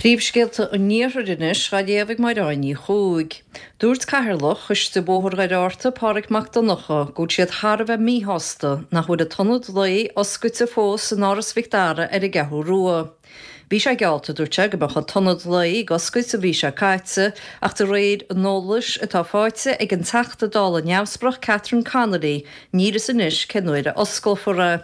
Príomhscéalta an Iarthair anois á léamh ag Máire Ní Chuaig. Dúirt Cathaoirleach Choiste Bhóthar Dhoire Fhatharta, Páraic Mac Donncha, go bhfuil siad thar a bheith míshásta nach bhfuil an t-ionad lae oscailte fós in Áras Mhic Dara ar an gCeathrú Rua. Bhí sé geallta, dúirt sé, go mbeadh an t-ionad lae ag oscailt an mhí seo caite ach de réir an eolais atá faighte ag an Teachta Dála neamhspleách Catherine Connolly, níl a fhios anois cén uair a osclófar é.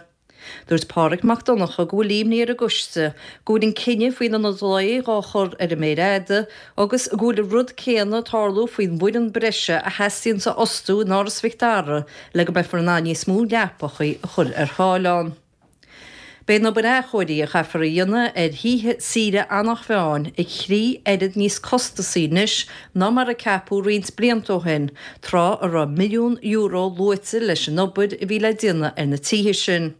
Dúirt Páraic Mac Donncha go bhfuil imní ar an gcoiste go bhfuil an cinneadh faoin ionad lae dhá chur ar an méar fhada agus go bhfuil an rud céanna ag tarlú faoin bhfoireann breise a theastaíonns a fhostú in Áras Mhic Dara le go mbeifear in ann níos mó leapachaí a chur ar fáil ann. Beidh an obair athchóirithe a chaithfear a dhéanamh ar thithe saoire Eanach Mheáin a thrí oiread níos costasaí anois ná mar a ceapadh roinnt blianta ó shin, tráth a raibh €1 milliún luaite leis an obair a bhí le déanamh ar na tithe sin.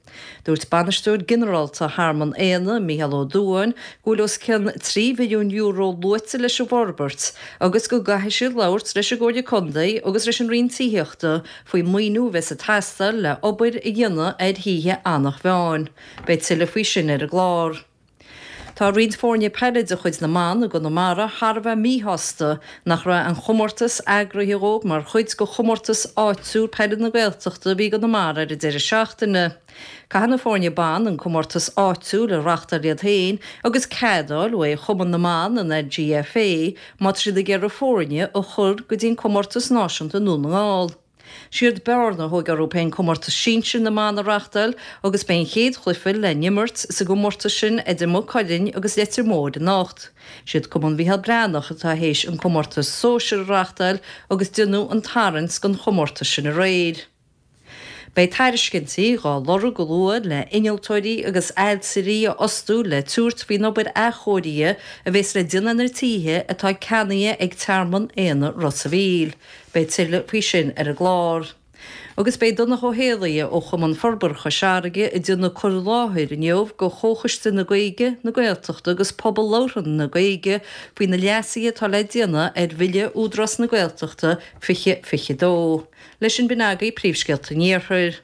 Dúirt Bainisteoir Ginearálta Thearmann Éanna, Mícheál Ó Dubháin, go bhfuil os cionn €3 mhilliún luaite leis an bhforbairt agus go gcaithfidh siad labhairt leis an gComhairle Contae agus leis an Roinn Tithíochta faoin maoiniú a bheas ag teastáil le obair a dhéanamh ar thithe Eanach Mheáin. Beidh tuilleadh faoi sin ar an gclár. Tá roinnt foirne peile de chuid na mban i gConamara thar a bheith míshásta nach raibh an chomórtas eagraithe dhóibh mar chuid de chomórtas áitiúil peile na Gaeltachta a bhí i gConamara ar an deireadh seachtaine. Caithfidh na foirne ban an comórtas áitiúil a reachtáil iad féin agus cead a fháil uaidh Chumann na mBan, an LGFA, má tá siad ag iarraidh foirne a chur go dtí an comórtas náisiúnta i nDún na nGall. Siad Bearna a thóg orthu féin comórtas sinsir na mban a reachtáil agus beidh an chéad chluiche le n-imirt sa gcomórtas sin idir Maigh Cuilinn agus Leitir Móir anocht. Siad Cumann Mhícheál Breathnach atá théis an comórtas sóisir a reachtáil agus déanadh an tarraingt don chomórtas sin aréir. Beidh tairiscintí dhá lorg go luath le innealtóirí agus ailtirí a fhostú le tabhairt faoin obair athchóirithe a bhéas le déanamh ar na tithe atá ceannaithe ag Tearmann Éanna Ros a' Mhíl. Beidh tuilleadh faoi sin ar an gclár. Agus beidh Donncha Ó Héalaí ó Chumann Forbartha Chois Fharraige ag déanamh cur i láthair inniu do Chomhchoiste na Gaeilge, na Gaeltachta agus Pobal Labhartha na Gaeilge faoi na leasuithe atá le déanamh ar Bhille Údarás na Gaeltachta 2022. Leis sin b'in agaibh príomhscéalta an Iarthair.